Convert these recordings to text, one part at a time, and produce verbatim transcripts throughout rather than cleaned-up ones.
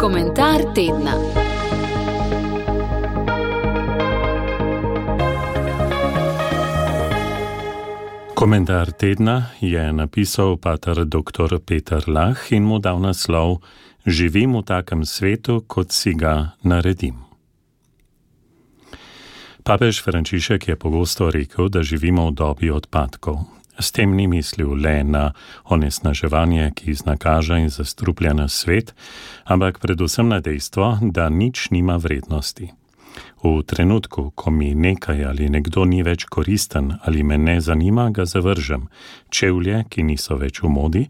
Komentar tedna. Komentar tedna je napisal pater doktor Peter Lah in mu dal naslov Živim v takem svetu, kot si ga naredim. Papež Frančišek je pogosto rekel, da živimo v dobi odpadkov. S tem ni mislil le na onesnaževanje, ki iznakaža in zastruplja nas svet, ampak predvsem na dejstvo, da nič nima vrednosti. V trenutku, ko mi nekaj ali nekdo ni več koristen ali me ne zanima, ga zavržem. Čevlje, ki niso več v modi,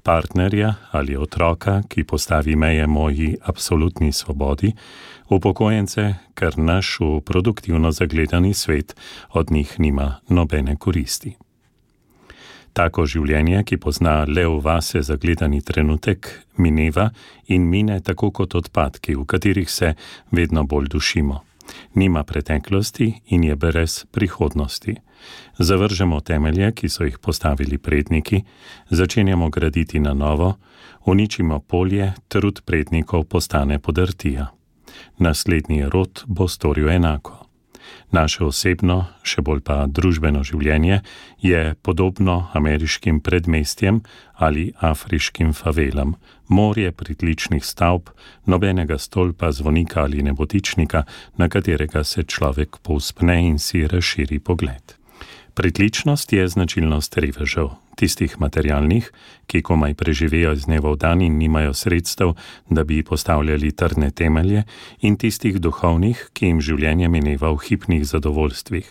partnerja ali otroka, ki postavi meje moji absolutni svobodi, upokojence, ker naš v produktivno zagledani svet od njih nima nobene koristi. Tako življenje, ki pozna le v vase zagledani trenutek, mineva in mine tako kot odpadki, v katerih se vedno bolj dušimo. Nima preteklosti in je brez prihodnosti. Zavržemo temelje, ki so jih postavili predniki, začenjamo graditi na novo, uničimo polje, trud prednikov postane podrtija. Naslednji rod bo storil enako. Naše osebno, še bolj pa družbeno življenje je podobno ameriškim predmestjem ali afriškim favelam. Morje pritličnih stavb, nobenega stolpa, zvonika ali nebotičnika, na katerega se človek povzpne in si razširi pogled. Pritličnost je značilnost revežev, tistih materialnih, ki komaj preživejo iz dneva v dan in nimajo sredstev, da bi postavljali trdne temelje, in tistih duhovnih, ki jim življenje mineva v hipnih zadovoljstvih.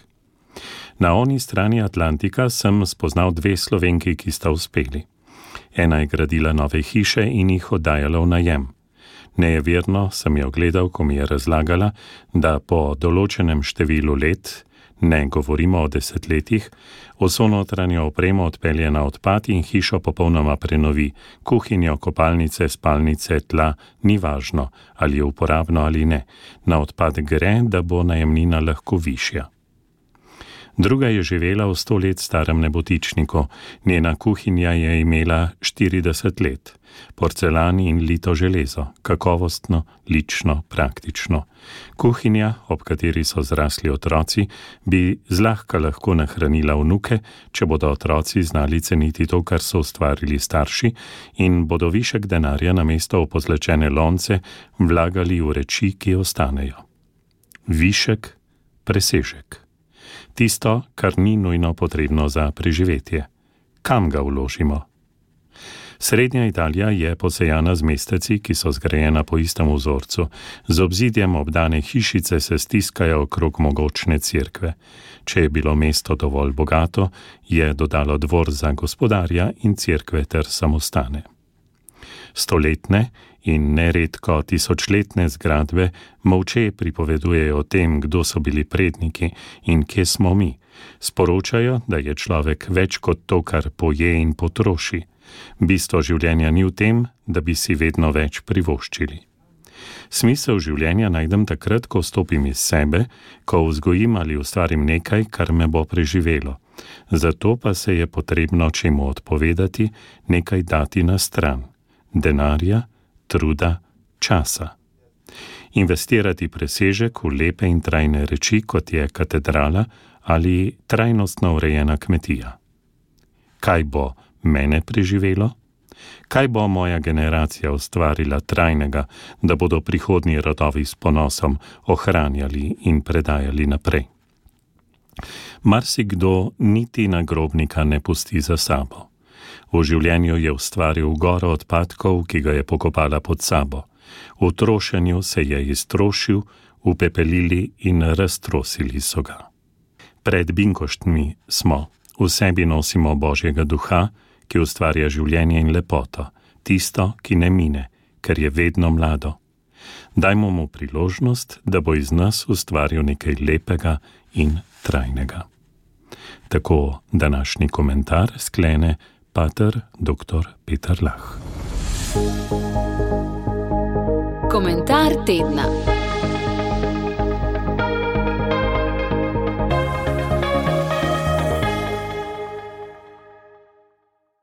Na oni strani Atlantika sem spoznal dve Slovenki, ki sta uspeli. Ena je gradila nove hiše in jih oddajala v najem. Nejeverno sem jo gledal, ko mi je razlagala, da po določenem številu let, ne govorimo o desetletjih, vso notranjo opremo odpelje na odpad in hišo popolnoma prenovi. Kuhinjo, kopalnice, spalnice, tla, ni važno, ali je uporabno ali ne. Na odpad gre, da bo najemnina lahko višja. Druga je živela v sto let starem nebotičniku. Njena kuhinja je imela štirideset let. Porcelan in lito železo, kakovostno, lično, praktično. Kuhinja, ob kateri so zrasli otroci, bi zlahka lahko nahranila vnuke, če bodo otroci znali ceniti to, kar so ustvarili starši, in bodo višek denarja namesto v pozlačene lonce vlagali v reči, ki ostanejo. Višek, presežek. Tisto, kar ni nujno potrebno za preživetje. Kam ga vložimo? Srednja Italija je posejana z mesteci, ki so zgrajena po istem vzorcu. Z obzidjem obdane hišice se stiskajo okrog mogočne cerkve. Če je bilo mesto dovolj bogato, je dodalo dvor za gospodarja in cerkve ter samostane. Stoletne in neredko tisočletne zgradbe molče pripovedujejo o tem, kdo so bili predniki in kje smo mi. Sporočajo, da je človek več kot to, kar poje in potroši. Bistvo življenja ni v tem, da bi si vedno več privoščili. Smisel življenja najdem takrat, ko stopim iz sebe, ko vzgojim ali ustvarim nekaj, kar me bo preživelo. Zato pa se je potrebno čemu odpovedati, nekaj dati na stran. Denarja, truda, časa. Investirati presežek v lepe in trajne reči, kot je katedrala ali trajnostno urejena kmetija. Kaj bo mene preživelo? Kaj bo moja generacija ustvarila trajnega, da bodo prihodnji rodovi s ponosom ohranjali in predajali naprej? Marsikdo niti nagrobnika ne pusti za sabo. V življenju je ustvaril goro odpadkov, ki ga je pokopala pod sabo. V trošenju se je iztrošil, upepelili in raztrosili so ga. Pred binkoštmi smo, v sebi nosimo Božjega duha, ki ustvarja življenje in lepoto, tisto, ki ne mine, ker je vedno mlado. Dajmo mu priložnost, da bo iz nas ustvaril nekaj lepega in trajnega. Tako današnji komentar sklene pater doktor Peter Lah. Komentar tedna.